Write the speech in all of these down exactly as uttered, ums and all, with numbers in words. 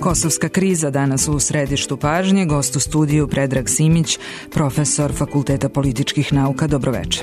Kosovska kriza danas u središtu pažnje, gost u studiju Predrag Simić, profesor Fakulteta političkih nauka. Dobroveče.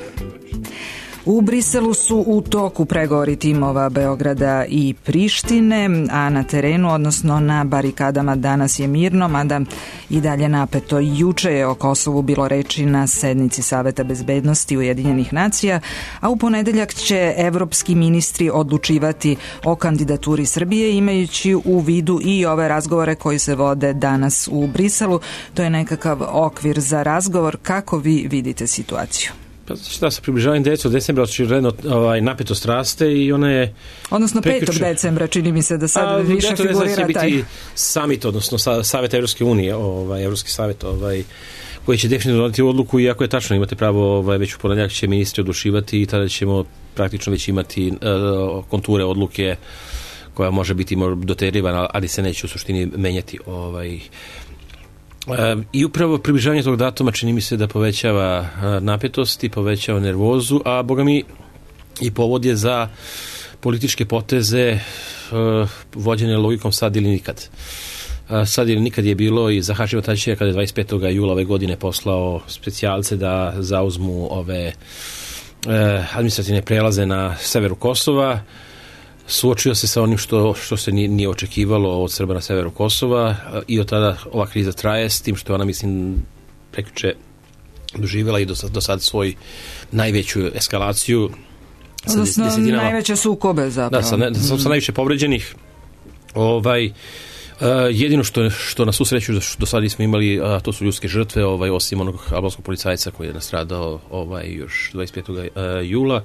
U Briselu su u toku pregovori timova Beograda i Prištine, a na terenu, odnosno na barikadama, danas je mirno, mada i dalje napeto. Juče je o Kosovu bilo reči na sednici Saveta bezbednosti Ujedinjenih nacija, a u ponedeljak će evropski ministri odlučivati o kandidaturi Srbije, imajući u vidu i ove razgovore koji se vode danas u Briselu. To je nekakav okvir za razgovor. Kako vi vidite situaciju? Pa šta, sa približavanjem devetog decembra očigledno ovaj, napetost raste i ona je... Odnosno petog decembra, čini mi se da sad a, više figurira taj... će biti summit, odnosno Savet Evropske unije, ovaj, Evropski savet, ovaj, koji će definitivno doneti odluku, iako je tačno, imate pravo, ovaj, već u ponedjeljak će ministri odlučivati i tada ćemo praktično već imati uh, konture odluke koja može biti doterivana, ali se neće u suštini menjati ovaj... I upravo približavanje tog datuma čini mi se da povećava napetost i povećava nervozu, a boga mi i povod je za političke poteze vođene logikom sad ili nikad. Sad ili nikad je bilo i za Hašima Tačića kada je dvadeset petog jula ove godine poslao specijalce da zauzmu ove administrativne prelaze na severu Kosova. Suočio se sa onim što, što se nije, nije očekivalo od Srba na severu Kosova i od tada ova kriza traje, s tim što ona, mislim, prekjuče doživjela i do, do sad svoj najveću eskalaciju. Odnosno najveće sukobe zapravo. Da, sa, ne, sa, sa najviše povređenih. Ovaj, uh, jedino što, što na svu sreću do sada nismo imali, uh, to su ljudske žrtve, ovaj, osim onog albanskog policajca koji je nastradao ovaj, još dvadeset petog jula.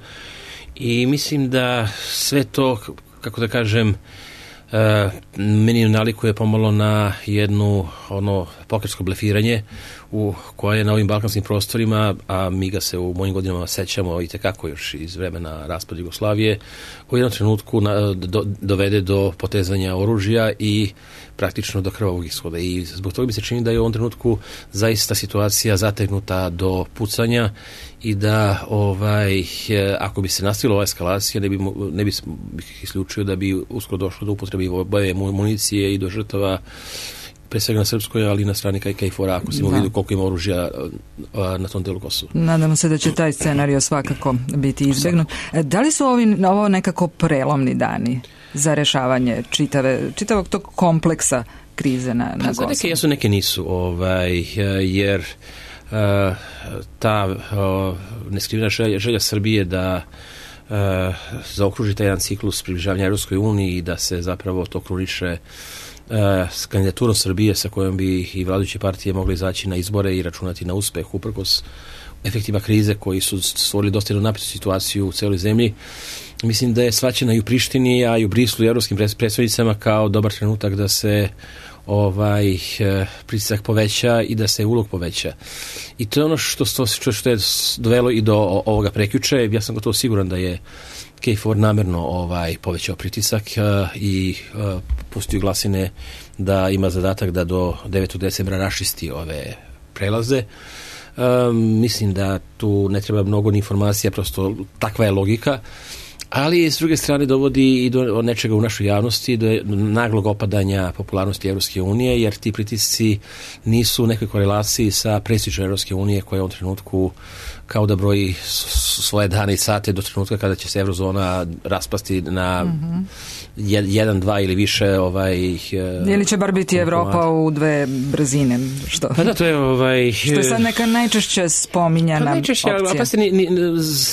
I mislim da sve to, kako da kažem, uh, meni nalikuje pomalo na jednu ono pokersko blefiranje u koje je na ovim balkanskim prostorima, a mi ga se u mojim godinama sećamo i tekako još iz vremena raspada Jugoslavije, u jednom trenutku na, do, dovede do potezanja oružja i praktično do krvavog ishoda. I zbog toga mi se čini da je u ovom trenutku zaista situacija zategnuta do pucanja i da ovaj, ako bi se nastavila ova eskalacija, ne bi, ne bi isključio da bi uskoro došlo do upotrebe boje municije i do žrtava, pre svega na srpskoj, ali i na strani K F O R-a, ako se ima vidu koliko ima oružja na tom delu Kosova. Nadamo se da će taj scenario svakako biti izbegnut. Da li su ovi, ovo nekako prelomni dani za rešavanje čitave, čitavog tog kompleksa krize na, na Kosovu? Neke jesu, neke nisu, ovaj, jer uh, ta uh, neskrivena želja, želja Srbije da uh, zaokruži taj jedan ciklus približavanja Evropskoj uniji i da se zapravo to kruniše s kandidaturom Srbije sa kojom bi i vladajuće partije mogli izaći na izbore i računati na uspeh uprkos efektima krize koji su stvorili dosta jednu napetu situaciju u celoj zemlji. Mislim da je shvaćena i u Prištini, a i u Brislu i evropskim predstavnicama kao dobar trenutak da se ovaj pritisak poveća i da se ulog poveća. I to je ono što, što, što je dovelo i do ovoga prekjuče. Ja sam gotovo siguran da je K F O R namjerno ovaj, povećao pritisak uh, i uh, pustio glasine da ima zadatak da do devetog decembra rašisti ove prelaze. Um, mislim da tu ne treba mnogo ni informacija, prosto takva je logika, ali s druge strane dovodi i do nečega u našoj javnosti, do naglog opadanja popularnosti Evropske unije, jer ti pritisci nisu u nekoj korelaciji sa prestižom Evropske unije koja je u ovom trenutku kao da broji svoje dane i sate do trenutka kada će se eurozona raspasti na mm-hmm. jedan, dva ili više ovaj, ili će bar biti Evropa u dve brzine, što, pa da, to je, ovaj, što je sad neka najčešće spominjana pa najčešće, opcija. Pa ni, ni,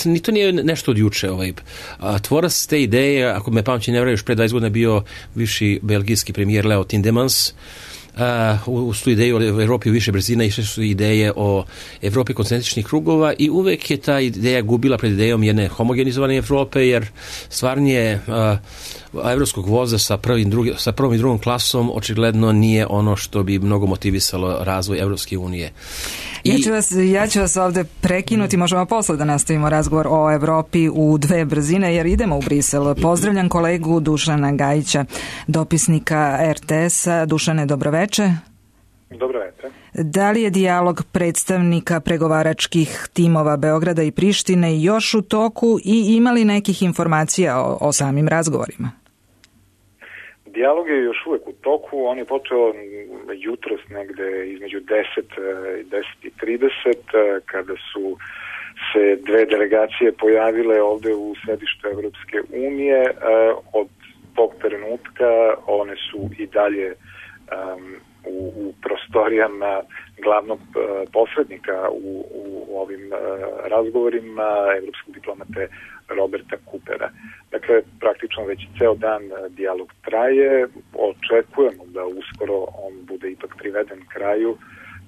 ni to nije nešto od juče. Ovaj. A, tvorac te ideje, ako me pamćenje ne vraju, još pre dvadeset godina bio bivši belgijski premijer Leo Tindemans. Uh, uz tu ideju o Evropi u više brzina išle su ideje o Evropi koncentričnih krugova i uvek je ta ideja gubila pred idejom jedne homogenizovane Evrope, jer stvarnije uh, evropskog voza sa, prvim, drugi, sa prvom i drugom klasom očigledno nije ono što bi mnogo motivisalo razvoj Evropske unije. I... Ja, ću vas, ja ću vas ovde prekinuti, možemo posle da nastavimo razgovor o Evropi u dve brzine, jer idemo u Brisel. Pozdravljam kolegu Dušana Gajića, dopisnika R T S-a. Dušane, dobroveče. Dobroveče. Da li je dijalog predstavnika pregovaračkih timova Beograda i Prištine još u toku i ima li nekih informacija o, o samim razgovorima? Dijalog je još uvek u toku, on je počeo jutros negde između deset i deset i trideset, kada su se dve delegacije pojavile ovde u središtu Evropske unije. Od tog trenutka one su i dalje um, u, u prostorijama glavnog uh, posrednika u, u ovim uh, razgovorima evropskog diplomate Roberta Coopera. Dakle, praktično već ceo dan uh, dijalog traje, očekujemo da uskoro on bude ipak priveden kraju,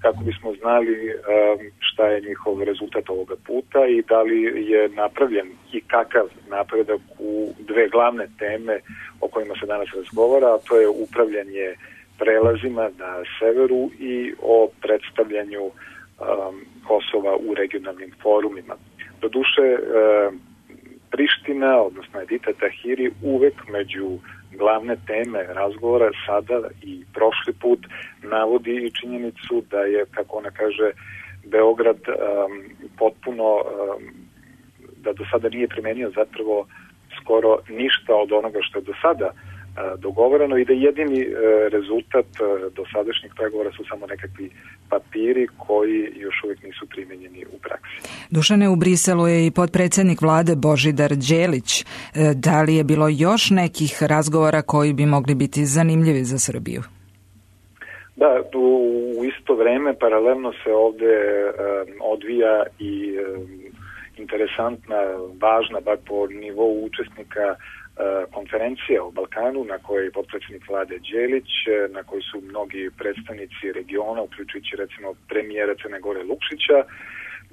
kako bismo znali um, šta je njihov rezultat ovoga puta i da li je napravljen i kakav napredak u dve glavne teme o kojima se danas razgovara, a to je upravljanje prelazima na severu i o predstavljanju um, Kosova u regionalnim forumima. Doduše, um, Priština, odnosno Edita Tahiri, uvek među glavne teme razgovora sada i prošli put navodi i činjenicu da je, kako ona kaže, Beograd um, potpuno, um, da do sada nije primenio zapravo skoro ništa od onoga što je do sada uh, dogovoreno i da jedini uh, rezultat uh, dosadašnjih pregovora su samo nekakvi papiri koji još uvijek nisu primenjeni u praksi. Dušane, u Briselu je i potpredsjednik vlade Božidar Đelić. Da li je bilo još nekih razgovora koji bi mogli biti zanimljivi za Srbiju? Da, u isto vreme paralelno se ovde um, odvija i um, interesantna, važna, bar po nivou učesnika uh, konferencija o Balkanu, na kojoj je potpredsjednik vlade Đelić, na kojoj su mnogi predstavnici regiona, uključujući recimo premijera Crne Gore Lukšića,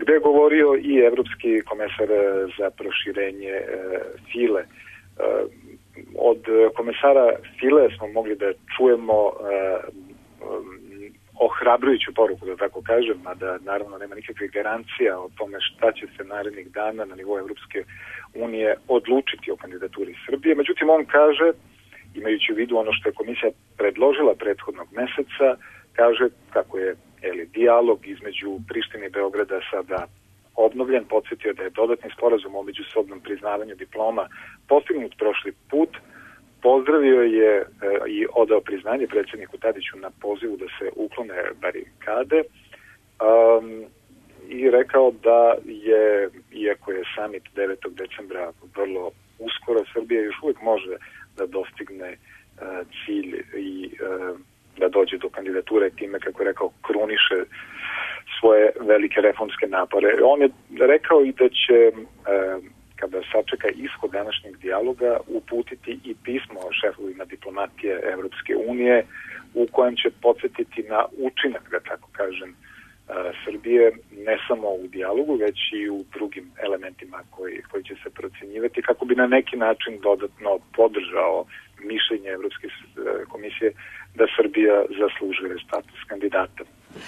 gde je govorio i evropski komesar za proširenje uh, File. Uh, od komesara File smo mogli da čujemo uh, ohrabrujuću poruku, da tako kažem, a da naravno nema nikakvih garancija o tome šta će se narednih dana na nivou Evropske unije odlučiti o kandidaturi Srbije. Međutim, on kaže, imajući u vidu ono što je komisija predložila prethodnog meseca, kaže kako je eli, dijalog između Prištine i Beograda sada obnovljen, podsjetio da je dodatni sporazum o međusobnom priznavanju diploma postignut prošli put. Pozdravio je e, i odao priznanje predsjedniku Tadiću na pozivu da se uklone barikade um, i rekao da je, iako je summit devetog decembra vrlo uskoro, Srbija još uvijek može da dostigne uh, cilj i uh, da dođe do kandidature, time, kako je rekao, kruniše svoje velike reformske napore. On je rekao i da će uh, kada sačeka ishod današnjeg dijaloga, uputiti i pismo šefovima diplomatije Evropske unije u kojem će podsjetiti na učinak, da tako kažem, Srbije, ne samo u dijalogu, već i u drugim elementima koji, koji će se procenjivati, kako bi na neki način dodatno podržao mišljenje Evropske komisije da Srbija zaslužuje status kandidata.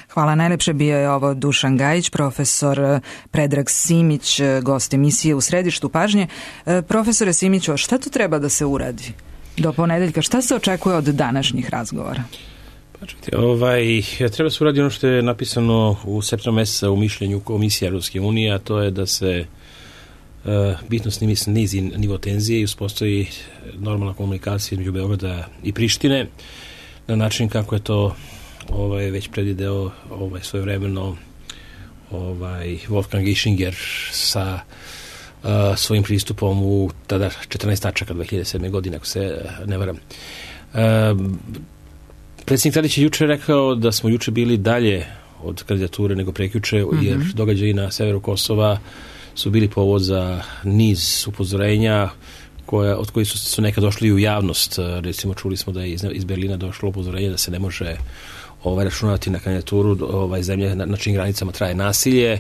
Hvala najlepše. Bio je ovo Dušan Gajić, profesor Predrag Simić, gost emisije U središtu pažnje. Profesore Simiću, šta tu treba da se uradi do ponedeljka? Šta se očekuje od današnjih razgovora? Pa čekajte, ovaj, treba se uradi ono što je napisano u septembru meseca u mišljenju Komisije Evropske unije, a to je da se uh, bitno snimi snizi nivo tenzije i uspostavi normalna komunikacija između Beograda i Prištine na način kako je to ovaj, već predvideo ovaj, svojevremeno ovaj, Wolfgang Ischinger sa uh, svojim pristupom u tada četrnaest tačaka dve hiljade sedme. godine, ako se ne varam. Uh, Predsjednik Tadić je juče rekao da smo juče bili dalje od kandidature nego prekjuče, mm-hmm. jer događaji na severu Kosova su bili povod za niz upozorenja koja, od kojih su, su nekad došli u javnost. Recimo, čuli smo da je iz, iz Berlina došlo upozorenje da se ne može ovaj, računati na kandidaturu ovaj, zemlje na, na čijim granicama traje nasilje,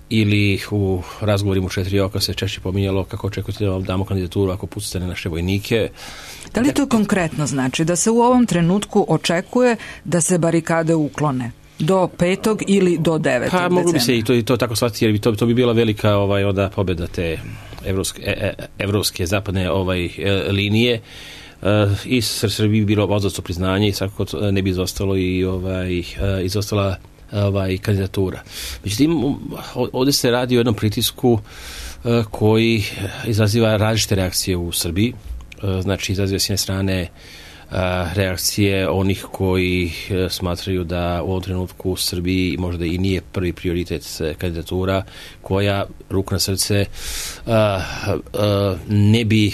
ili u razgovorima u četiri oka se češće pominjalo kako očekujete da vam damo kandidaturu ako pucate na naše vojnike. Da li to konkretno znači da se u ovom trenutku očekuje da se barikade uklone do petog ili do devetog decembra? Pa moglo bi se i to, i to tako shvatiti, jer bi to, to bi bila velika ovaj, onda pobjeda te evropske, e, evropske zapadne ovaj, e, linije. Uh, i Srbiji bi bilo odzasto priznanje i svakako ne bi izostalo i ovaj, uh, izostala ovaj, kandidatura. Međutim, ovdje se radi o jednom pritisku uh, koji izaziva različite reakcije u Srbiji. Uh, znači, izaziva s jedne strane reakcije onih koji smatraju da u ovom trenutku u Srbiji možda i nije prvi prioritet kandidatura koja, ruku na srce, ne bi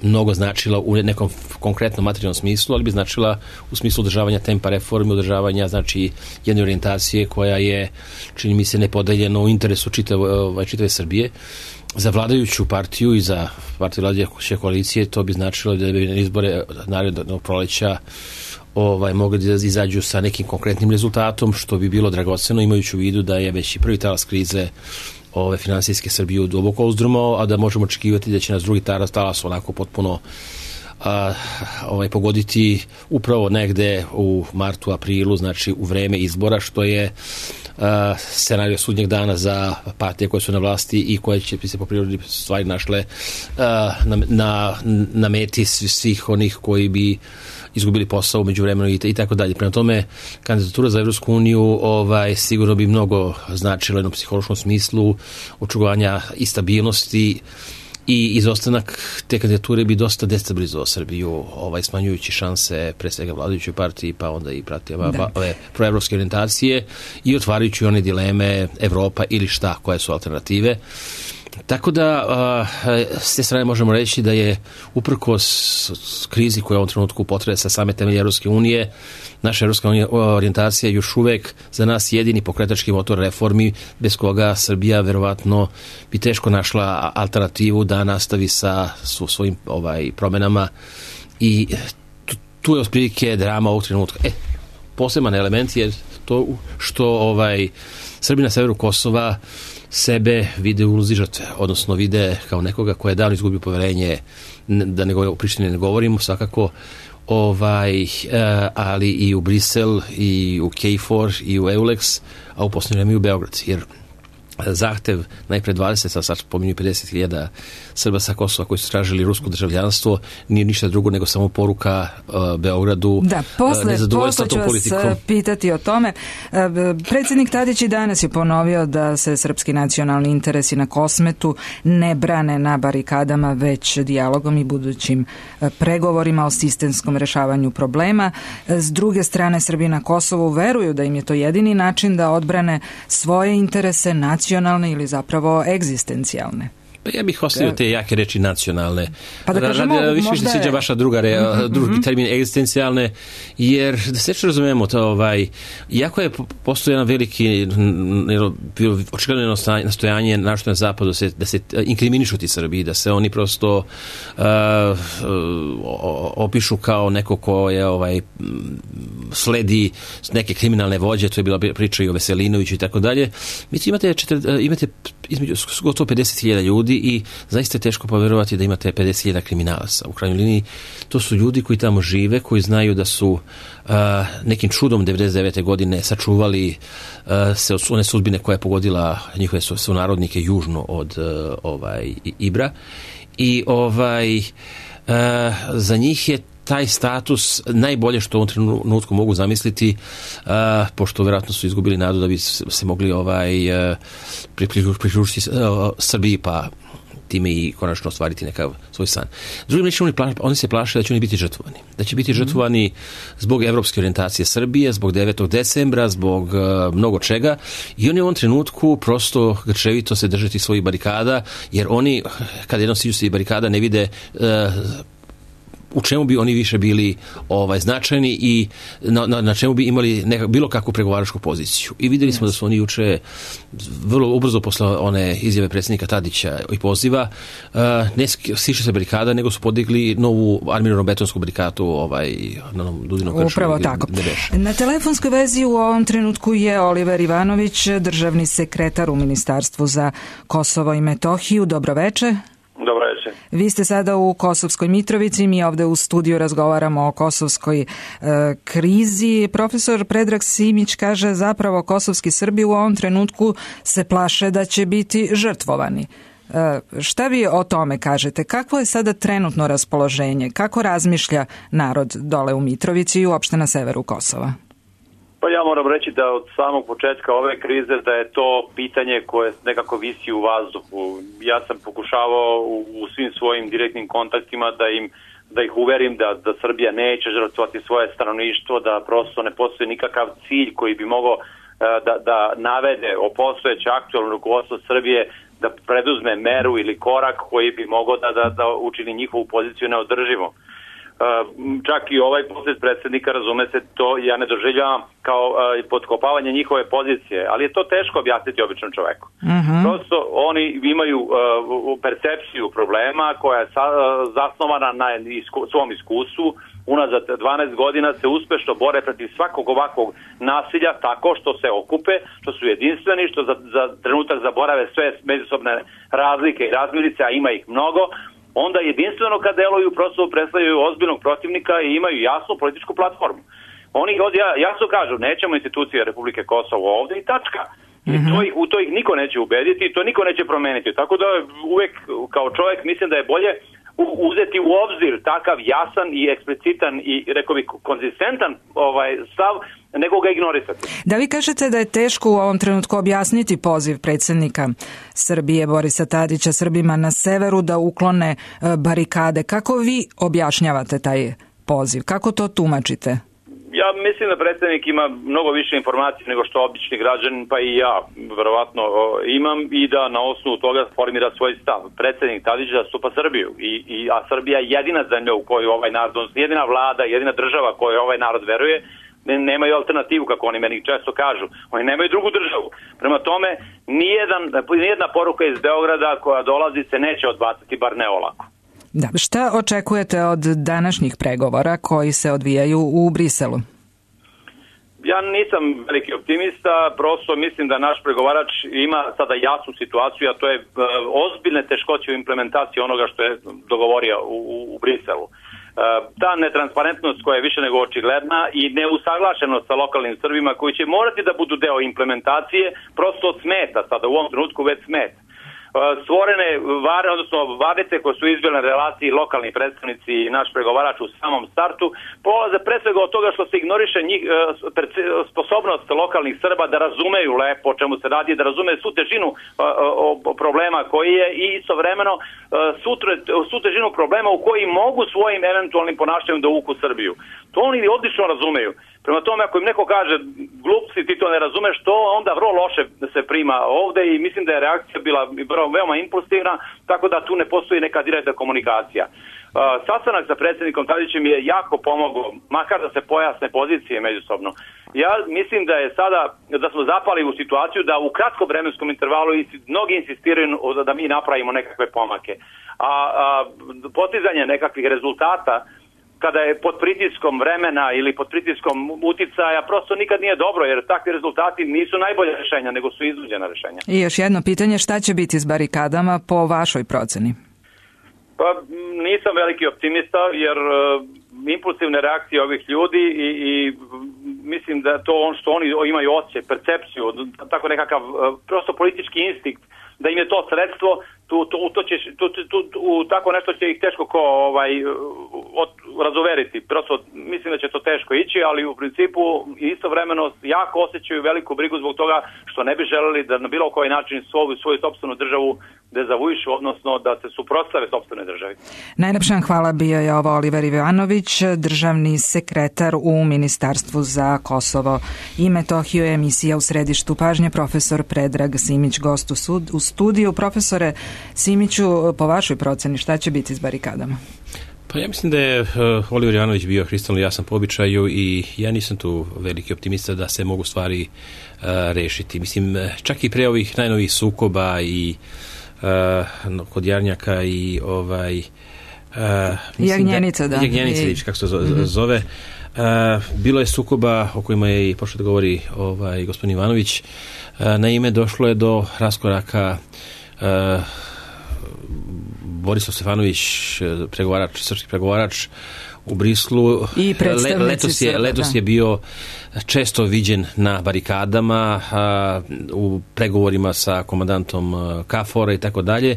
mnogo značila u nekom konkretnom materijalnom smislu, ali bi značila u smislu održavanja tempa reforme, održavanja znači jedne orijentacije koja je, čini mi se, nepodeljena u interesu čitave, čitave Srbije. Za vladajuću partiju i za partiju vladajuće koalicije to bi značilo da bi na izbore narednog proleća ovaj, mogli da izađu sa nekim konkretnim rezultatom, što bi bilo dragoceno, imajući u vidu da je već i prvi talas krize ove finansijske Srbije duboko uzdrmao, a da možemo očekivati da će nas drugi talas, talas onako potpuno a, ovaj, pogoditi upravo negde u martu, aprilu, znači u vreme izbora, što je Uh, scenario sudnjeg dana za partije koje su na vlasti i koje će se po prirodi stvari našle uh, na, na, na meti svih onih koji bi izgubili posao u međuvremenu i, i tako dalje. Prema tome, kandidatura za Evropsku uniju ovaj, sigurno bi mnogo značila u jednom psihološkom smislu očuvanja i stabilnosti, i izostanak te kandidature bi dosta destabilizovao Srbiju, ovaj, smanjujući šanse pre svega vladajućoj partiji, pa onda i pratijama ove proevropske orijentacije i otvarajući one dileme Evropa ili šta, koje su alternative. Tako da, s te strane možemo reći da je uprkos krizi koja u ovom trenutku potresa same temelje Evropske unije, naša evropska orijentacija je još uvek za nas jedini pokretački motor reformi, bez koga Srbija verovatno bi teško našla alternativu da nastavi sa svojim ovaj, promenama, i tu, tu je otprilike drama ovog trenutka. E, poseban element je to što ovaj, Srbi na severu Kosova sebe vide u ulozi žrtve, odnosno vide kao nekoga ko je davno izgubio poverenje, da ne govorimo, o Prištini ne govorimo, svakako, ovaj, ali i u Brisel, i u K F O R, i u EULEX, a u posljednje vreme i u Beograd, jer zahtev najpre dvadeset, a sad spominju pedeset hiljada Srba sa Kosova koji su tražili rusko državljanstvo, nije ništa drugo nego samo poruka uh, Beogradu. Da, posle, posle ću vas pitati o tome. Uh, predsjednik Tadić i danas je ponovio da se srpski nacionalni interesi na Kosmetu ne brane na barikadama, već dijalogom i budućim uh, pregovorima o sistemskom rešavanju problema. Uh, s druge strane, Srbi na Kosovu veruju da im je to jedini način da odbrane svoje interese, nacionalne ili zapravo egzistencijalne. Pa ja bih ostavio te jake reči nacionalne. Pa da kažemo, Radi, više možda mi se sviđa vaša druga re, mm-hmm. drugi termin egzistencijalne, jer da se što razumemo to, ovaj, iako je postoji jedan veliki očigledno nastojanje našto na zapadu da se, da se inkriminišu ti Srbi, da se oni prosto uh, opišu kao neko ko je ovaj, sledi neke kriminalne vođe, to je bila priča i o Veselinoviću i tako dalje. Mi imate, četir, imate između gotovo pedeset hiljada ljudi i zaista je teško poverovati da imate pedeset hiljada kriminalaca. U krajnjoj liniji to su ljudi koji tamo žive, koji znaju da su uh, nekim čudom devedeset devete godine sačuvali uh, se od one sudbine koja je pogodila njihove sunarodnike južno od uh, ovaj, Ibra, i ovaj, uh, za njih je taj status najbolje što u ovom trenutku mogu zamisliti, uh, pošto vjerojatno su izgubili nadu da bi se mogli ovaj, uh, priključiti uh, Srbiji, pa time i konačno ostvariti nekav svoj san. Drugim rečima, oni, pla, oni se plaše da će oni biti žrtvovani. Da će biti žrtvovani zbog evropske orijentacije Srbije, zbog devetog decembra, zbog uh, mnogo čega, i oni u ovom trenutku prosto grčevito se držati svojih barikada, jer oni, kada jednom siđu se barikada, ne vide uh, u čemu bi oni više bili ovaj, značajni i na, na, na čemu bi imali neka, bilo kakvu pregovaračku poziciju. I vidjeli smo da su oni juče vrlo ubrzo posle one izjave predsjednika Tadića i poziva uh, ne siše se barikada, nego su podigli novu armirano-betonsku barikadu ovaj, na Dudinom kršu. Upravo tako. Na telefonskoj vezi u ovom trenutku je Oliver Ivanović, državni sekretar u Ministarstvu za Kosovo i Metohiju. Dobro veče. Dobro večer. Vi ste sada u Kosovskoj Mitrovici, mi ovde u studiju razgovaramo o kosovskoj e, krizi. Profesor Predrag Simić kaže zapravo kosovski Srbi u ovom trenutku se plaše da će biti žrtvovani. E, šta vi o tome kažete? Kakvo je sada trenutno raspoloženje? Kako razmišlja narod dole u Mitrovici i uopšte na severu Kosova? Pa ja moram reći da od samog početka ove krize da je to pitanje koje nekako visi u vazduhu. Ja sam pokušavao u, u svim svojim direktnim kontaktima da im da ih uverim da, da Srbija neće žrtvovati svoje stanovništvo, da prosto ne postoji nikakav cilj koji bi mogao da, da navede o postojeće aktualno rukovodstvo Srbije da preduzme meru ili korak koji bi mogao da, da, da učini njihovu poziciju neodrživom. Čak i ovaj posjet predsjednika, razume se, to ja ne doživljavam kao uh, potkopavanje njihove pozicije, ali je to teško objasniti običnom čoveku. Uh-huh. Prosto oni imaju uh, percepciju problema koja je sa, uh, zasnovana na isku, svom iskustvu. Unazad dvanaest godina se uspešno bore protiv svakog ovakvog nasilja tako što se okupe, što su jedinstveni, što za, za trenutak zaborave sve međusobne razlike i razmirice, a ima ih mnogo. Onda jedinstveno kad deluju prosto predstavljaju ozbiljnog protivnika i imaju jasnu političku platformu. Oni ovdje jasno kažu nećemo institucije Republike Kosovo ovdje i tačka. I mm-hmm. to ih, u to ih niko neće ubediti i to niko neće promeniti. Tako da uvek kao čovjek mislim da je bolje uzeti u obzir takav jasan i eksplicitan i rekao bih konzistentan ovaj stav nego ga ignorisati. Da vi kažete da je teško u ovom trenutku objasniti poziv predsjednika Srbije Borisa Tadića Srbima na severu da uklone barikade. Kako vi objašnjavate taj poziv? Kako to tumačite? Ja mislim da predsjednik ima mnogo više informacije nego što obični građanin, pa i ja verovatno imam, i da na osnovu toga formira svoj stav. Predsjednik Tadić zastupa Srbiju, i, i, a Srbija je jedina zemlja u kojoj ovaj narod, jedina vlada, jedina država kojoj ovaj narod veruje, nemaju alternativu, kako oni meni često kažu. Oni nemaju drugu državu. Prema tome, nijedan, nijedna poruka iz Beograda koja dolazi se neće odbaciti, bar ne olako. Da, šta očekujete od današnjih pregovora koji se odvijaju u Briselu? Ja nisam veliki optimista, prosto mislim da naš pregovarač ima sada jasnu situaciju, a to je uh, ozbiljne teškoće u implementaciji onoga što je dogovorio u, u, u Briselu. Uh, ta netransparentnost koja je više nego očigledna i neusaglašenost sa lokalnim Srbima koji će morati da budu deo implementacije prosto smeta sada, u ovom trenutku već smeta. Stvorene vare, odnosno varice koje su izbile na relaciji lokalni predstavnici i naš pregovarač u samom startu polaze pre svega od toga što se ignoriše njih, sposobnost lokalnih Srba da razumeju lepo o čemu se radi, da razumeju svu težinu problema koji je i istovremeno svu težinu problema u koji mogu svojim eventualnim ponašanjem da uvuku Srbiju. To oni odlično razumeju. Prema tome, ako im neko kaže glupci, ti to ne razumeš, to onda vrlo loše se prima ovde i mislim da je reakcija bila veoma impulsivna, tako da tu ne postoji neka direktna komunikacija. Uh, sastanak sa predsjednikom Tadićem je jako pomogao, makar da se pojasne pozicije međusobno. Ja mislim da je sada, da smo zapali u situaciju da u kratkom vremenskom intervalu mnogi insistiraju da mi napravimo nekakve pomake. A, a postizanje nekakvih rezultata kada je pod pritiskom vremena ili pod pritiskom uticaja, prosto nikad nije dobro, jer takvi rezultati nisu najbolje rješenja, nego su iznuđena rješenja. I još jedno pitanje, šta će biti s barikadama po vašoj proceni? Pa nisam veliki optimista, jer uh, impulsivne reakcije ovih ljudi i, i mislim da to on što oni imaju osjećaj, percepciju, tako nekakav uh, prosto politički instinkt, da im je to sredstvo, tu, tu, to će, tu, tu, tu, tako nešto će ih teško ko, ovaj, od, razoveriti. Prosto mislim da će to teško ići, ali u principu istovremeno jako osjećaju veliku brigu zbog toga što ne bi želeli da na bilo koji način svoju, svoju sopstvenu državu dezavuišu, odnosno da se suprotstave sopstvenoj državi. Najlepša hvala, bio je ovo Oliver Ivanović, državni sekretar u Ministarstvu za Kosovo i Metohiju, emisija U središtu pažnje, profesor Predrag Simić, gost u, sud, u studiju. Profesore Simiću, po vašoj proceni šta će biti s barikadama? Pa ja mislim da je uh, Oliver Ivanović bio kristalno jasan po običaju i ja nisam tu veliki optimista da se mogu stvari uh, rešiti. Mislim, čak i pre ovih najnovih sukoba i uh, kod Jarnjaka i ovaj uh, Jagnjenica, da. Jagnjenica, I... kako se zove. Uh, bilo je sukoba o kojima je i pošao da govori ovaj, gospodin Ivanović. Uh, naime, došlo je do raskoraka uh, Borislav Stefanović, pregovarač, srpski pregovarač u Brislu, i Le, letos, je, letos je bio često viđen na barikadama, a, u pregovorima sa komandantom Kafora i tako dalje.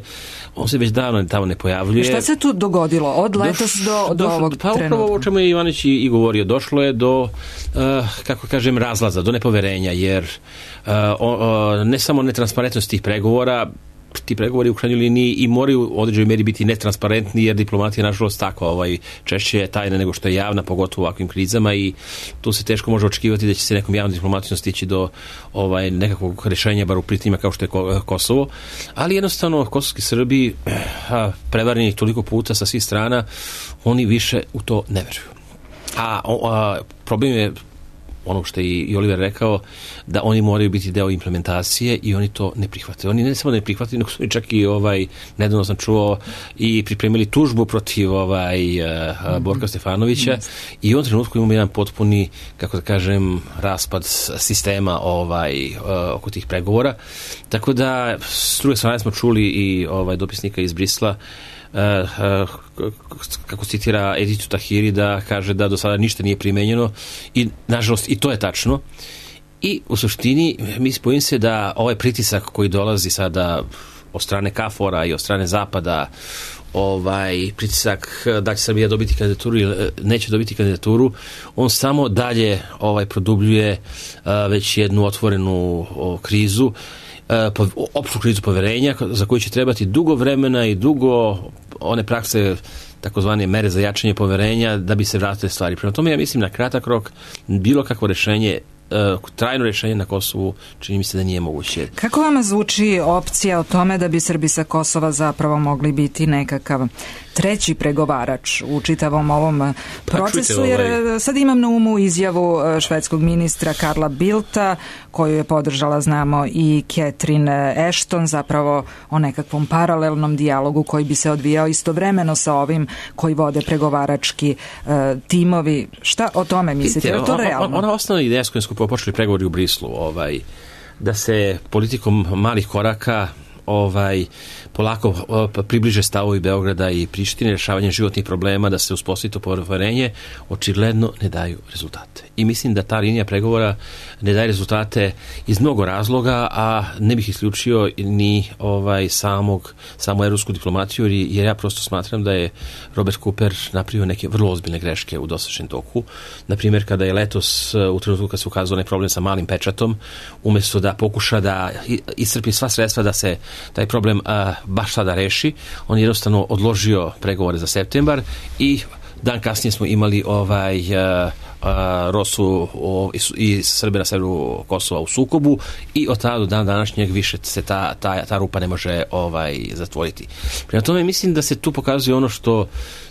On se već davno tamo ne pojavljuje. Šta se tu dogodilo od letos Doš, do, do došlo, ovog pa, trenutka? Pa upravo o čemu je Ivanić i, i govorio, došlo je do, uh, kako kažem, razlaza, do nepoverenja, jer uh, o, o, ne samo netransparentnost tih pregovora, ti pregovori u krajnjoj liniji i moraju u određenoj meri biti netransparentni, jer diplomatija nažalost tako ovaj, češće je tajna nego što je javna, pogotovo u ovakvim krizama, i tu se teško može očekivati da će se nekom javnom diplomatijom stići do ovaj, nekakvog rješenja, bar u pitanjima kao što je Kosovo. Ali jednostavno kosovski Srbi, prevareni toliko puta sa svih strana, oni više u to ne veruju. A, a problem je ono što je i Oliver rekao, da oni moraju biti deo implementacije i oni to ne prihvate. Oni ne samo da ne prihvate, nego su čak i ovaj, nedavno sam čuo, i pripremili tužbu protiv ovaj, mm-hmm. Borka Stefanovića, mm-hmm. i u ovom trenutku imamo jedan potpuni, kako da kažem, raspad sistema ovaj, oko tih pregovora. Tako da, s druge strane smo čuli i ovaj, dopisnika iz Brisla, Uh, uh, kako citira Editu Tahiri, da kaže da do sada ništa nije primenjeno, i nažalost i to je tačno. I u suštini mi bojim se da ovaj pritisak koji dolazi sada od strane KFOR-a i od strane Zapada, ovaj pritisak da će Srbija dobiti kandidaturu ili neće dobiti kandidaturu, on samo dalje ovaj produbljuje uh, već jednu otvorenu o, krizu, uh, opštu krizu poverenja, za koju će trebati dugo vremena i dugo one prakse, takozvane mere za jačanje poverenja, da bi se vratile stvari. Prema tome, ja mislim, na kratak rok bilo kakvo rješenje, trajno rješenje na Kosovu, čini mi se da nije moguće. Kako vama zvuči opcija o tome da bi Srbi sa Kosova zapravo mogli biti nekakav treći pregovarač u čitavom ovom procesu, jer sad imam na umu izjavu švedskog ministra Karla Bildta, koju je podržala, znamo, i Catherine Ashton, zapravo o nekakvom paralelnom dijalogu koji bi se odvijao istovremeno sa ovim koji vode pregovarački uh, timovi. Šta o tome mislite? Je to realno? Ona osnovna ideja s kojom smo počeli pregovori u Brislu, ovaj, da se politikom malih koraka ovaj polako približe stavovi Beograda i Prištine, rješavanje životnih problema, da se uspostavi to poverenje, očigledno ne daju rezultate. I mislim da ta linija pregovora ne daje rezultate iz mnogo razloga, a ne bih isključio ni ovaj samog samu evropsku diplomaciju, jer ja prosto smatram da je Robert Cooper napravio neke vrlo ozbiljne greške u dosadašnjem toku. Na primjer, kada je letos, u trenutku kad se ukazao onaj problem sa malim pečatom, umjesto da pokuša da iscrpi sva sredstva da se taj problem a, baš sada reši, on je jednostavno odložio pregovore za septembar, i dan kasnije smo imali ovaj a, a, Rosu o, i, i Srbe na severu Kosova u sukobu, i od tada do dan današnjeg više se ta, ta, ta rupa ne može ovaj zatvoriti. Prema tome mislim da se tu pokazuje ono što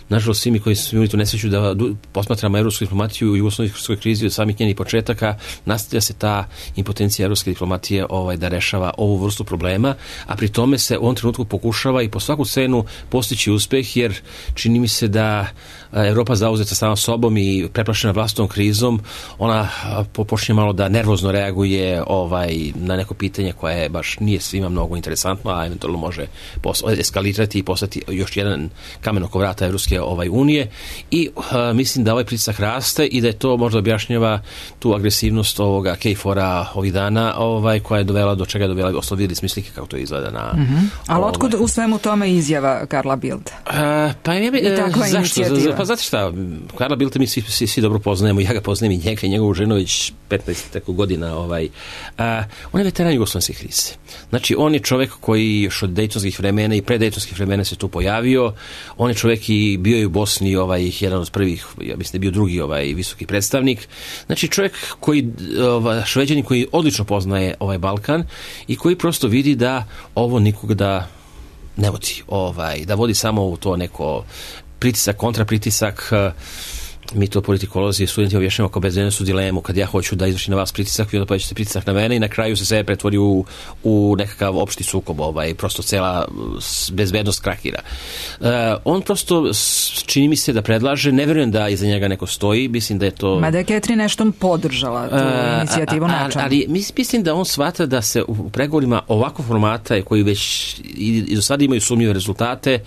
nažalost svi mi koji smo imali tu nesreću da posmatramo evropsku diplomaciju u jugoslovenskoj krizi od samih njenih početaka, nastavlja se ta impotencija evropske diplomatije ovaj, da rešava ovu vrstu problema, a pri tome se u ovom trenutku pokušava i po svaku cenu postići uspeh, jer čini mi se da Evropa zauzeta sama sobom i preplašena vlastnom krizom, ona počinje malo da nervozno reaguje ovaj, na neko pitanje koje baš nije svima mnogo interesantno, a eventualno može eskalirati i postati još jedan kamen oko vrata Evropske ovaj, unije, i uh, mislim da ovaj pritisak raste i da je to možda objašnjava tu agresivnost ovoga KFOR-a ovih dana, ovaj, koja je dovela do čega je dovela, osnovno vidjeli smislike kako to izgleda na... Mm-hmm. Ali ovaj, otkud u svemu tome izjava Karla Bildta? Uh, pa ja bi, uh, zašto? Pa znate šta, Karla Bildta mi svi, svi, svi dobro poznajemo, ja ga poznajem i njega i njegovu ženu već petnaest godina. Ovaj. Uh, on je veteran jugoslovenske krize. Znači, on je čovjek koji još od dejtonskih vremena i predejtonskih vremena se tu pojavio. On je čovjek i bio je u Bosni ovaj, jedan od prvih, ja mislim da je bio drugi ovaj, visoki predstavnik. Znači, čovjek koji, ovaj, Šveđanin koji odlično poznaje ovaj Balkan i koji prosto vidi da ovo nikog da ne vodi, ovaj, da vodi samo u to neko pritisak, kontrapritisak. Mi to politikolozi i studenti objašnjamo kao bezbednosnu dilemu, kad ja hoću da izvršim na vas pritisak, vi onda povećate pritisak na mene i na kraju se sve pretvori u, u nekakav opšti sukob, ovaj, prosto cela bezbednost krakira. Uh, on prosto čini mi se da predlaže, ne verujem da iza njega neko stoji, mislim da je to... Mada je Catherine nešto podržala tu uh, inicijativu načalno. Ali mislim da on shvata da se u pregovorima ovakvog formata koji već i, i do sada imaju sumnjive rezultate,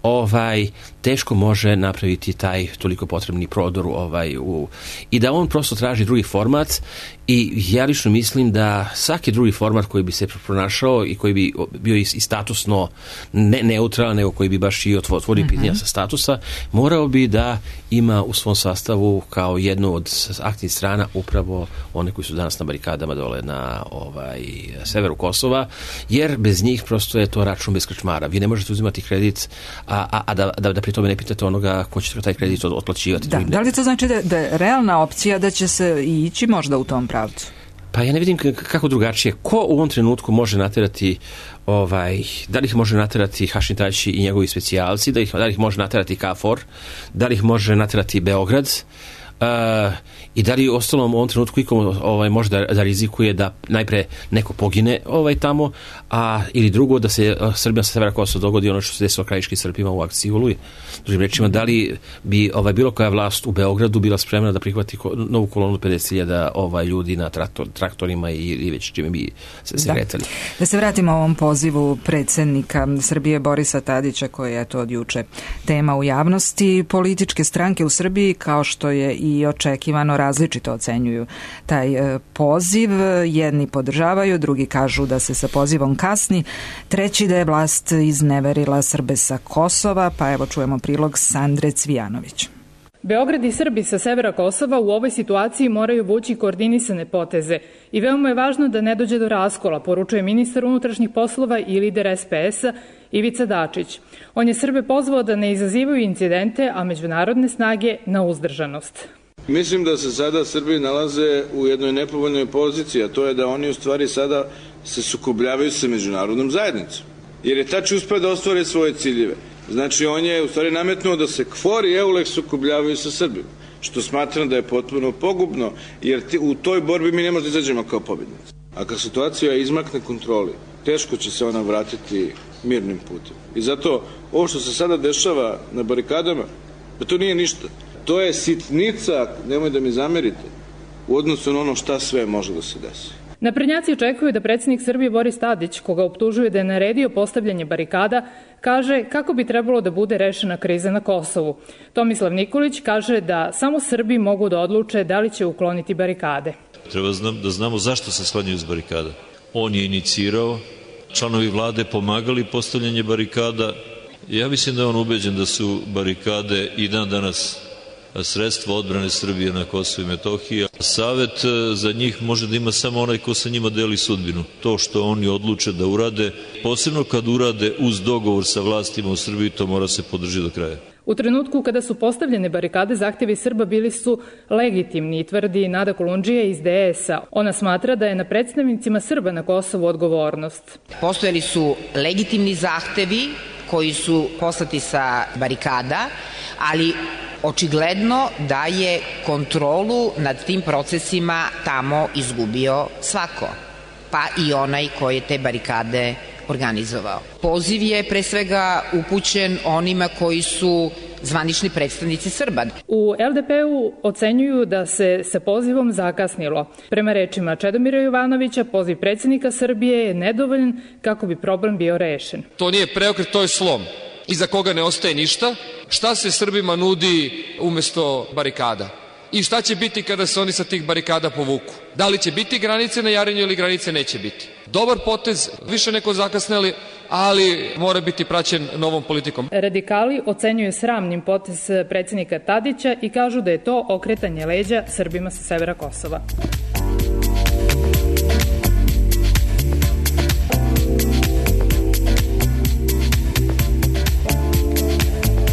ovaj, teško može napraviti taj toliko potrebni prodor ovaj, u, i da on prosto traži drugi format i ja lično mislim da svaki drugi format koji bi se pronašao i koji bi bio i statusno ne neutralan, nego koji bi baš i otvorio mm-hmm. pitanja sa statusa, morao bi da ima u svom sastavu kao jednu od aktivnih strana upravo one koji su danas na barikadama dole na ovaj, severu Kosova, jer bez njih prosto je to račun bez krčmara. Vi ne možete uzimati kredit, a, a, a da, da, da pri tome ne pitate onoga ko će taj kredit otplaćivati. Da, da li to znači da, da je realna opcija da će se ići možda u tom pravcu? Pa ja ne vidim kako drugačije. Ko u ovom trenutku može naterati, ovaj, da li ih može naterati Hašim Tači i njegovi specijalci, da, ih, da li ih može naterati KFOR, da li ih može naterati Beograd, Uh, i da li ostalom u ovom trenutku ikom ovaj, može da, da rizikuje da najpre neko pogine ovaj, tamo, a ili drugo da se uh, Srbija sa severa Kosova dogodi ono što se desilo krajiškim Srbima u akciji Oluji. Drugim rečima, da li bi ovaj, bilo koja vlast u Beogradu bila spremna da prihvati ko, novu kolonu pedeset hiljada ovaj, ljudi na traktor, traktorima i, i već čime bi se, se kretali. Da. da se vratimo ovom pozivu predsjednika Srbije Borisa Tadića koji je to od juče tema u javnosti. Političke stranke u Srbiji kao što je i očekivano različito ocenjuju taj e, poziv. Jedni podržavaju, drugi kažu da se sa pozivom kasni, treći da je vlast izneverila Srbe sa Kosova, pa evo čujemo prilog Sandre Cvijanović. Beograd i Srbi sa severa Kosova u ovoj situaciji moraju vući koordinisane poteze i veoma je važno da ne dođe do raskola, poručuje ministar unutrašnjih poslova i lider es pe es-a Ivica Dačić. On je Srbe pozvao da ne izazivaju incidente, a međunarodne snage na uzdržanost. Mislim da se sada Srbi nalaze u jednoj nepovoljnoj poziciji, a to je da oni u stvari sada se sukobljavaju sa međunarodnom zajednicom. Jer je Tači uspeo da ostvare svoje ciljeve. Znači, on je u stvari nametnuo da se KFOR i EULEX sukobljavaju sa Srbima, što smatram da je potpuno pogubno, jer u toj borbi mi ne možemo da izađemo kao pobjednici. A kad situacija izmakne kontroli, teško će se ona vratiti mirnim putem. I zato ovo što se sada dešava na barikadama, pa to nije ništa. To je sitnica, nemoj da mi zamerite, u odnosu na ono šta sve može da se desi. Naprednjaci očekuju da predsjednik Srbije Boris Tadić, koga optužuje da je naredio postavljanje barikada, kaže kako bi trebalo da bude rešena kriza na Kosovu. Tomislav Nikolić kaže da samo Srbi mogu da odluče da li će ukloniti barikade. Treba da znamo zašto se sklanjaju iz barikada. On je inicirao, članovi vlade pomagali postavljanje barikada. Ja mislim da je on ubeđen da su barikade i dan danas sredstva odbrane Srbije na Kosovu i Metohiji. Savet za njih može da ima samo onaj ko sa njima deli sudbinu. To što oni odluče da urade, posebno kad urade uz dogovor sa vlastima u Srbiji, to mora se podržiti do kraja. U trenutku kada su postavljene barikade, zahtjevi Srba bili su legitimni, tvrdi Nada Kolundžija iz de es-a. Ona smatra da je na predstavnicima Srba na Kosovu odgovornost. Postojali su legitimni zahtevi koji su poslati sa barikada, ali očigledno da je kontrolu nad tim procesima tamo izgubio svako, pa i onaj koji je te barikade organizovao. Poziv je pre svega upućen onima koji su zvanični predstavnici Srba. U el de pe-u ocenjuju da se sa pozivom zakasnilo. Prema rečima Čedomira Jovanovića, poziv predsjednika Srbije je nedovoljan kako bi problem bio rešen. To nije preokret, to je slom. Iza koga ne ostaje ništa. Šta se Srbima nudi umesto barikada? I šta će biti kada se oni sa tih barikada povuku? Da li će biti granice na Jarinju ili granice neće biti? Dobar potez, više neko zakasneli, ali mora biti praćen novom politikom. Radikali ocenjuju sramnim potez predsjednika Tadića i kažu da je to okretanje leđa Srbima sa severa Kosova.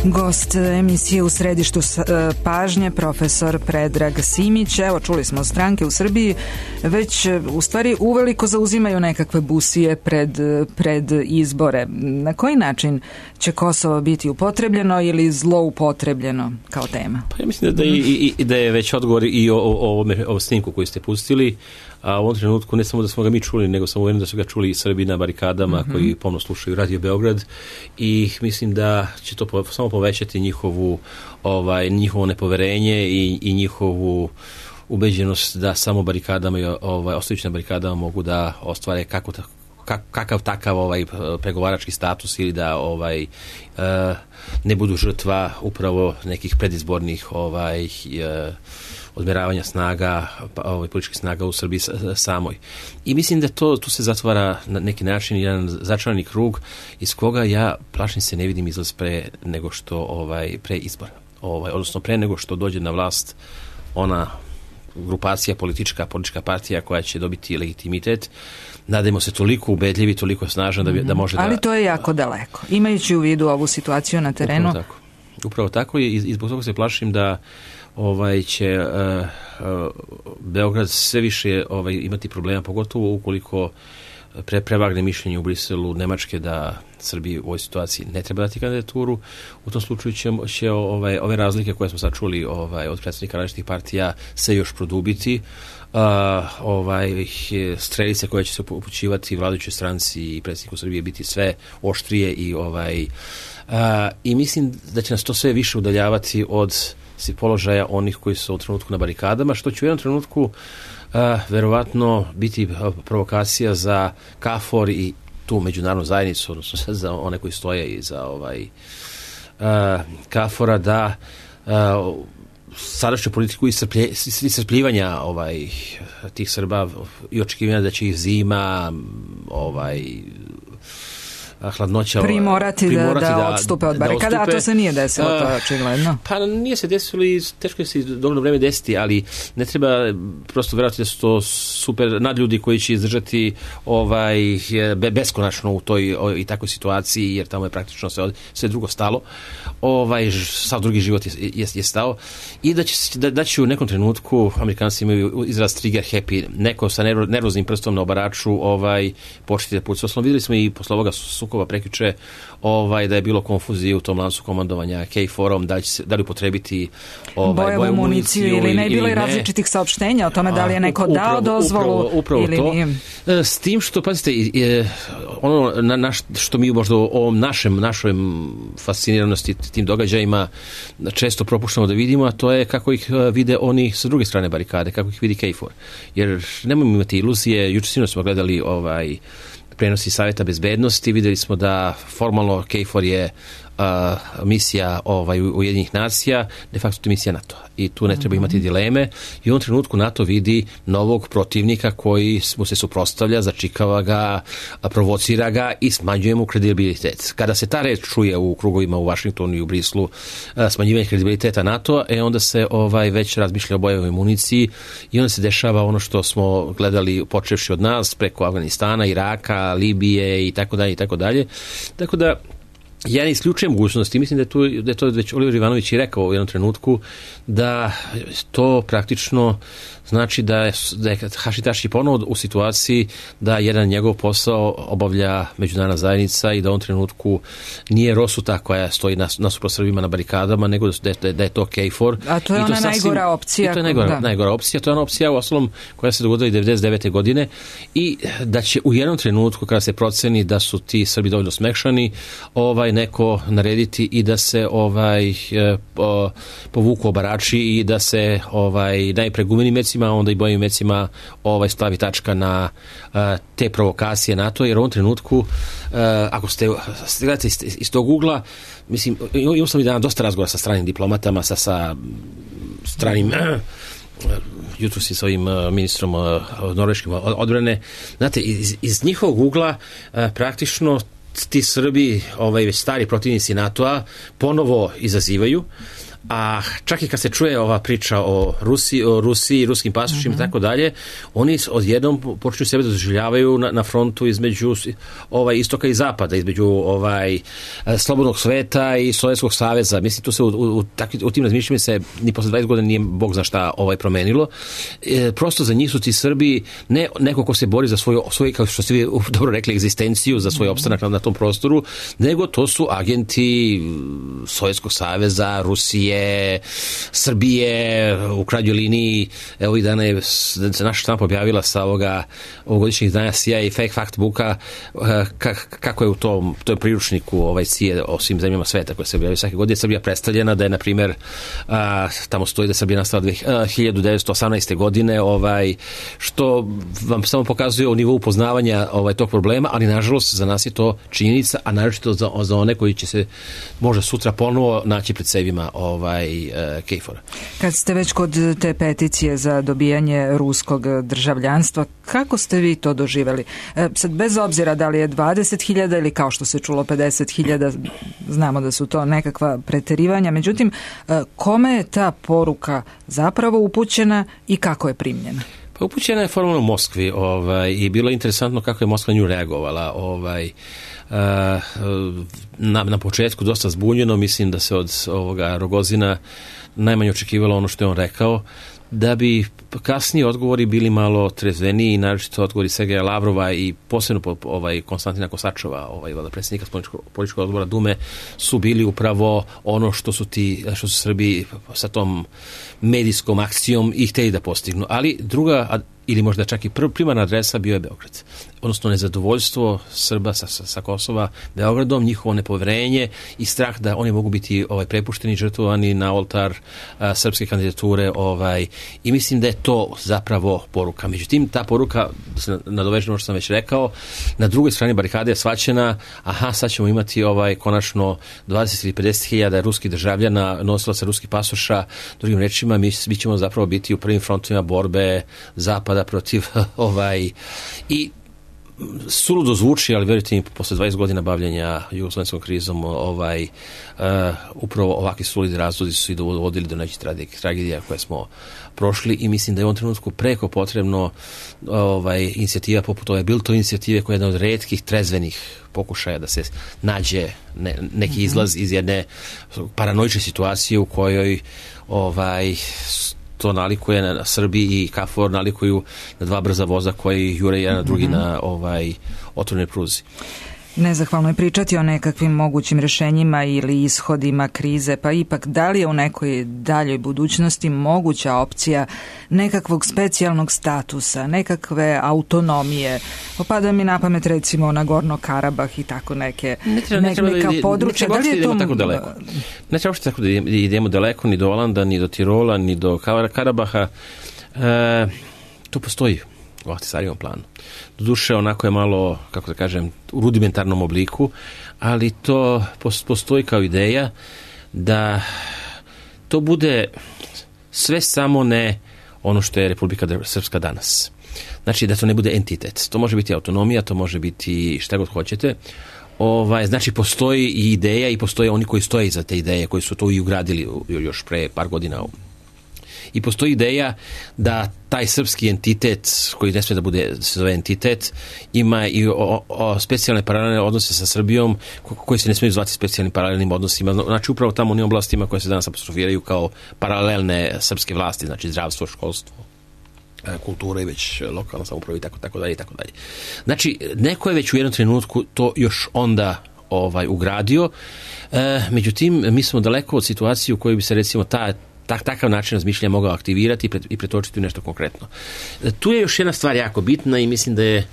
Gost emisije U središtu pažnje, profesor Predrag Simić. Evo, čuli smo, stranke u Srbiji već u stvari uveliko zauzimaju nekakve busije pred, pred izbore. Na koji način će Kosovo biti upotrebljeno ili zloupotrebljeno kao tema? Pa ja mislim da, da, i, i, da je već odgovor i o, o, o, o snimku koji ste pustili. A u ovom trenutku ne samo da smo ga mi čuli, nego sam uvjeren da su ga čuli i Srbi na barikadama mm-hmm. koji pomno slušaju Radio Beograd i mislim da će to po, samo povećati njihovu, ovaj, njihovo nepoverenje i, i njihovu ubeđenost da samo barikadama i ovaj, ostajući na barikadama mogu da ostvare kako, kakav takav ovaj pregovarački status ili da ovaj ne budu žrtva upravo nekih predizbornih ovaj odmeravanja snaga, ovaj, političkih snaga u Srbiji samoj. I mislim da to, tu se zatvara na neki način jedan začarani krug iz koga ja, plašim se, ne vidim izlaz pre nego što, ovaj, pre izbora. Ovaj, odnosno pre nego što dođe na vlast ona grupacija politička, politička partija koja će dobiti legitimitet. Nadajmo se toliko ubedljivi, toliko snažan da, bi, da može da... Ali to je jako daleko. Imajući u vidu ovu situaciju na terenu... Upravo tako. Upravo tako i, i zbog toga se plašim da ovaj će uh, uh, Beograd sve više ovaj, imati problema, pogotovo ukoliko pre, prevagne mišljenje u Briselu Nemačke da Srbiji u ovoj situaciji ne treba dati kandidaturu. U tom slučaju će, će ovaj, ove razlike koje smo sad čuli ovaj, od predstavnika različitih partija se još produbiti. Uh, ovaj, strelice koje će se upućivati vladajućoj stranci i predsjedniku Srbije biti sve oštrije i ovaj uh, i mislim da će nas to sve više udaljavati od položaja onih koji su u trenutku na barikadama, što će u jednom trenutku uh, verovatno biti provokacija za KFOR i tu međunarodnu zajednicu, odnosno za one koji stoje i za ovaj uh, KFOR-a da uh, sadašnju politiku iscrpljivanja ovaj, tih Srba i očekivanja da će ih zima ovaj hladnoća primorati, primorati da, da, da odstupe od barikada, a to se nije desilo, to je očigledno. Pa nije se desilo i teško je se dovoljno vreme desiti, ali ne treba prosto verovati da su to super nadljudi koji će izdržati ovaj, beskonačno u toj o, i takvoj situaciji, jer tamo je praktično sve, sve drugo stalo. Ovaj, sav drugi život je, je, je stao i da će, da, da će u nekom trenutku, Amerikanci imaju izraz trigger happy, neko sa nervoznim prstom na obaraču ovaj, početi da puca. Osnovno vidjeli smo i posle ovoga sukoba prekjuče ovaj, da je bilo konfuzije u tom lancu komandovanja K F O R-om, da li, će, da li upotrebiti ovaj, bojevu, bojevu municiju ili ne, bilo i različitih saopštenja o tome da li je neko upravo, dao dozvolu upravo, upravo ili to. Nije. S tim što, pazite, je, ono na, naš, što mi možda o ovom našem, našoj fasciniranosti tim događajima često propuštamo da vidimo, a to je kako ih vide oni sa druge strane barikade, kako ih vidi K F O R. Jer nemojmo imati iluzije, juče sinoć smo gledali ovaj prenosi Savjeta bezbednosti, videli smo da formalno K F O R je uh, misija ovaj, Ujedinjenih nacija, de facto to je misija NATO. I tu ne treba imati dileme. I u ovom trenutku NATO vidi novog protivnika koji mu se suprotstavlja, začikava ga, provocira ga i smanjuje mu kredibilitet. Kada se ta reč čuje u krugovima u Vašingtonu i u Brislu, smanjivanje kredibiliteta NATO, e onda se ovaj, već razmišlja o bojevoj municiji i onda se dešava ono što smo gledali počevši od nas preko Afganistana, Iraka, Libije i tako dalje i tako dalje. Tako da ja ne isključujem mogućnosti, mislim da je, tu, da je to već Oliver Ivanović i rekao u jednom trenutku, da to praktično znači da je, da je Hašitaši ponovo u situaciji da jedan njegov posao obavlja međunarodna zajednica i da u ovom trenutku nije Rosuta koja stoji nas, nasuprot Srbima na barikadama, nego da je, da je to K F O R. A to je I to ona sasvim, najgora opcija. I to je najgora, najgora opcija. To je ona opcija u ostalom koja se dogodila i devedeset devete godine i da će u jednom trenutku kada se proceni da su ti Srbi dovoljno smekšani, ovaj neko narediti i da se ovaj po, povuku obarači i da se ovaj najpre gumenim mecima, onda i bojim mecima ovaj stavi tačka na uh, te provokacije NATO, jer u ovom trenutku uh, ako ste gledate iz, iz tog ugla, mislim, imao sam i dana dosta razgovora sa stranim diplomatama, sa, sa stranim jutro si sa ovim uh, ministrom uh, norveškim odbrane, znate, iz, iz njihovog ugla uh, praktično ti Srbi, ovaj, već stari protivnici NATO-a, ponovo izazivaju, a čak i kad se čuje ova priča o Rusiji, o Rusiji, ruskim pasošima i tako dalje, oni odjednom počinju sebe da doživljavaju na, na frontu između ovaj istoka i zapada, između ovaj slobodnog sveta i Sovjetskog saveza. Mislim, tu se u, u, u, u tim razmišljanjima se ni posle dvadeset godina nije Bog zna šta ovaj promenilo. E, prosto za njih su ti Srbi ne neko ko se bori za svoju, svoju, kao što ste vi dobro rekli, egzistenciju, za svoj opstanak na, na tom prostoru, nego to su agenti Sovjetskog saveza, Rusije, Albanije, Srbije, u krajnjoj liniji, evo ovih dana je se naša štampa objavila sa ovoga ovogodišnjeg izdanja C I A i Fake Fact Booka kako je u tom, tom priručniku ovaj C I A o svim zemljama sveta koje se objavljaju svake godine Srbija predstavljena, da je na primjer tamo stoji da je Srbija nastala hiljadu devetsto osamnaeste. godine, ovaj, što vam samo pokazuje o nivou poznavanja ovaj, tog problema, ali nažalost za nas je to činjenica, a naročito za, za one koji će se možda sutra ponovo naći pred sebima ovaj, uh, Kejfora. Kad ste već kod te peticije za dobijanje ruskog državljanstva, kako ste vi to doživjeli? E, sad, bez obzira da li je dvadeset hiljada ili kao što se čulo pedeset hiljada, znamo da su to nekakva preterivanja, međutim, e, kome je ta poruka zapravo upućena i kako je primljena? Pa upućena je formalno u Moskvi ovaj, i bilo je interesantno kako je Moskva nju reagovala. Ovaj, na, na početku dosta zbunjeno, mislim da se od ovoga Rogozina najmanje očekivalo ono što je on rekao, da bi kasniji odgovori bili malo trezveniji, naročito odgovori Sergeja Lavrova i posebno ovaj, Konstantina Kosačova, ovaj, predsjednika političkog odbora Dume, su bili upravo ono što su ti, što su Srbi sa tom medijskom akcijom i hteli da postignu. Ali druga, ili možda čak i primarna adresa bio je Beograd. Odnosno nezadovoljstvo Srba sa, sa, sa Kosova Beogradom, njihovo nepoverenje i strah da oni mogu biti ovaj, prepušteni, žrtvovani na oltar a, srpske kandidature. Ovaj, I mislim da je to zapravo poruka. Međutim, ta poruka, nadoveženo što sam već rekao, na drugoj strani barikade je shvaćena, aha, sad ćemo imati ovaj, konačno dvadeset ili pedeset hiljada ruskih državljana, nosilaca ruskih pasoša, drugim rečima, mi, mi ćemo zapravo biti u prvim frontovima borbe Zapada protiv ovaj i suludo zvuči, ali verujte mi, posle dvadeset godina bavljenja jugoslovenskom krizom, ovaj, uh, upravo ovakvi suludi razlozi su i dovodili do nekih tragedija koje smo prošli i mislim da je u ovom trenutku preko potrebno ovaj, inicijativa poput ove Bilto inicijative koja je jedna od retkih trezvenih pokušaja da se nađe ne, neki izlaz iz jedne paranoične situacije u kojoj ovaj to nalikuje na Srbiji i KFOR nalikuju na dva brza voza koji jure jedan na drugi mm-hmm. na ovaj otvorenoj pruzi. Nezahvalno je pričati o nekakvim mogućim rješenjima ili ishodima krize, pa ipak da li je u nekoj daljoj budućnosti moguća opcija nekakvog specijalnog statusa, nekakve autonomije? Opada mi na pamet recimo Nagorno Karabah i tako neke ne treba, ne treba neka da, područja. Ne treba da li je to tako daleko. Ne treba tako da idemo daleko, ni do Olanda, ni do Tirola, ni do Karabaha. E, to postoji u Ahtisarijevom planu. Doduše, onako je malo, kako da kažem, u rudimentarnom obliku, ali to postoji kao ideja da to bude sve samo ne ono što je Republika Srpska danas. Znači da to ne bude entitet. To može biti autonomija, to može biti šta god hoćete. Ovaj, znači postoji i ideja i postoje oni koji stoje iza te ideje, koji su to i ugradili još pre par godina. I postoji ideja da taj srpski entitet, koji ne smije da bude, se zove entitet, ima i o, o specijalne paralelne odnose sa Srbijom, koji se ne smiju zvati specijalnim paralelnim odnosima. Znači upravo tamo u onim oblastima koje se danas apostrofiraju kao paralelne srpske vlasti, znači zdravstvo, školstvo, kultura i već lokalna samouprava i tako, tako dalje i tako dalje. Znači, neko je već u jednom trenutku to još onda ovaj, ugradio, e, međutim, mi smo daleko od situacije u kojoj bi se recimo ta Tak, takav način razmišljanja mogao aktivirati i pretočiti u nešto konkretno. Tu je još jedna stvar jako bitna i mislim da je e,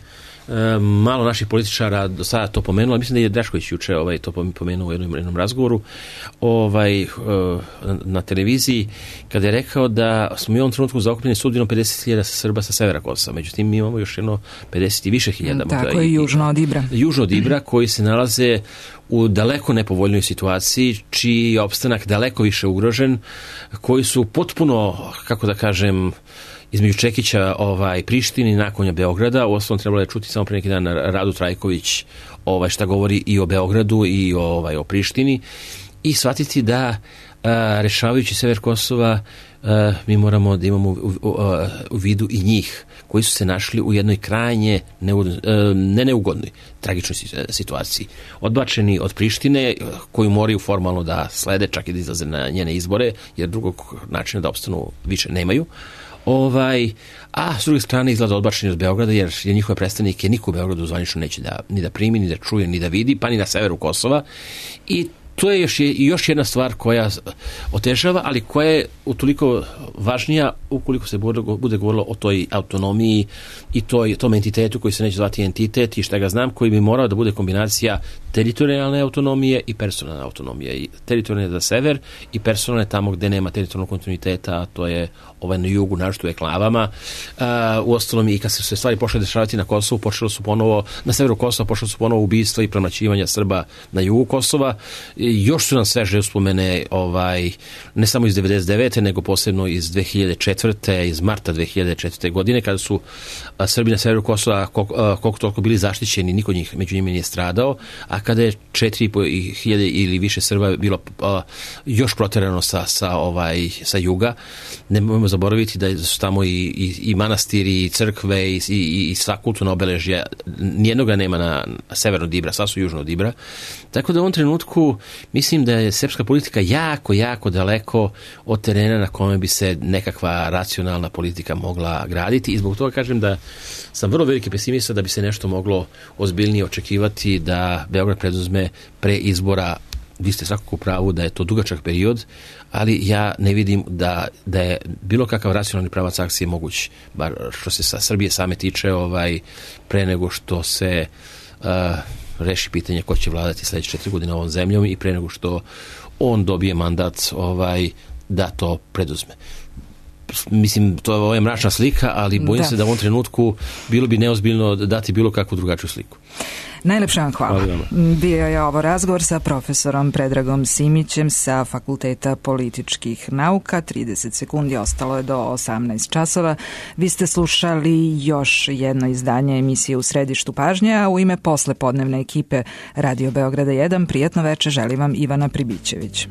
malo naših političara do sada to pomenulo, mislim da je Drašković juče ovaj, to pomenuo u jednom, jednom razgovoru ovaj, e, na televiziji, kada je rekao da smo mi u ovom trenutku zaokupljeni sudbinom pedeset hiljada Srba sa severa Kosova. Međutim, mi imamo još jedno pedeset i više hiljada. Tako je južno od Ibra. Južno od Ibra, koji se nalaze u daleko nepovoljnoj situaciji, čiji je opstanak daleko više ugrožen, koji su potpuno, kako da kažem, između Čekića ovaj, Prištini nakon Beograda. U osnovu trebalo je čuti samo pre neki dan Radu Trajković ovaj, šta govori i o Beogradu i o, ovaj, o Prištini i shvatiti da a, rešavajući sever Kosova a, mi moramo da imamo u, u, u, u vidu i njih koji su se našli u jednoj krajnje neugodnoj, ne neugodnoj, tragičnoj situaciji. Odbačeni od Prištine, koju moraju formalno da slede, čak i da izlaze na njene izbore, jer drugog načina da opstanu više nemaju. Ovaj, a s druge strane izgleda odbačeni od Beograda, jer je njihove predstavnike niko u Beogradu zvanično neće da, ni da primi, ni da čuje, ni da vidi, pa ni na severu Kosova. I to je još, još jedna stvar koja otežava, ali koja je utoliko važnija ukoliko se bude, bude govorilo o toj autonomiji i toj, tom entitetu koji se neće zvati entitet i šta ga znam, koji bi morao da bude kombinacija teritorijalne autonomije i personalne autonomije. I teritorijalne za sever i personalne tamo gde nema teritorijalnog kontinuiteta, a to je ovaj na jugu, našto u eklavama. Uh, u ostalom i kad se sve stvari počele dešavati na Kosovu, počelo su ponovo, na severu Kosova počelo su ponovo ubistva i premlaćivanja Srba na jugu Kosova. I još su nam sveže uspomene ovaj, ne samo iz devedeset devete nego posebno iz dve hiljade četvrte iz marta dve hiljade četvrte godine, kada su a, Srbi na severu Kosova koliko, koliko toliko bili zaštićeni, niko njih među njima nije stradao, a kada je četiri i po hiljade ili više Srba bilo a, još proterano sa, sa, ovaj, sa juga. Ne možemo zaboraviti da su tamo i, i, i manastiri, i crkve, i, i, i sva kulturna obeležja. Nijednoga nema na severno Dibra, sva su južno Dibra. Tako da u ovom trenutku mislim da je srpska politika jako, jako daleko od terena na kome bi se nekakva racionalna politika mogla graditi i zbog toga kažem da sam vrlo veliki pesimista da bi se nešto moglo ozbiljnije očekivati da Beograd preduzme pre izbora. Vi ste svakako u pravu da je to dugačak period, ali ja ne vidim da, da je bilo kakav racionalni pravac akcije moguć, bar što se sa Srbije same tiče, ovaj, pre nego što se uh, reši pitanje ko će vladati sledeće četiri godine ovom zemljom i pre nego što on dobije mandat ovaj, da to preduzme. Mislim, to je ovo je mračna slika, ali bojim da. se da u ovom trenutku bilo bi neozbiljno dati bilo kakvu drugačiju sliku. Najlepša vam hvala. hvala Bio je ovo razgovor sa profesorom Predragom Simićem sa Fakulteta političkih nauka. trideset sekundi ostalo je do osamnaest časova. Vi ste slušali još jedno izdanje emisije U središtu pažnje, a u ime poslepodnevne ekipe Radio Beograda jedan prijatno veče želi vam Ivana Pribićević.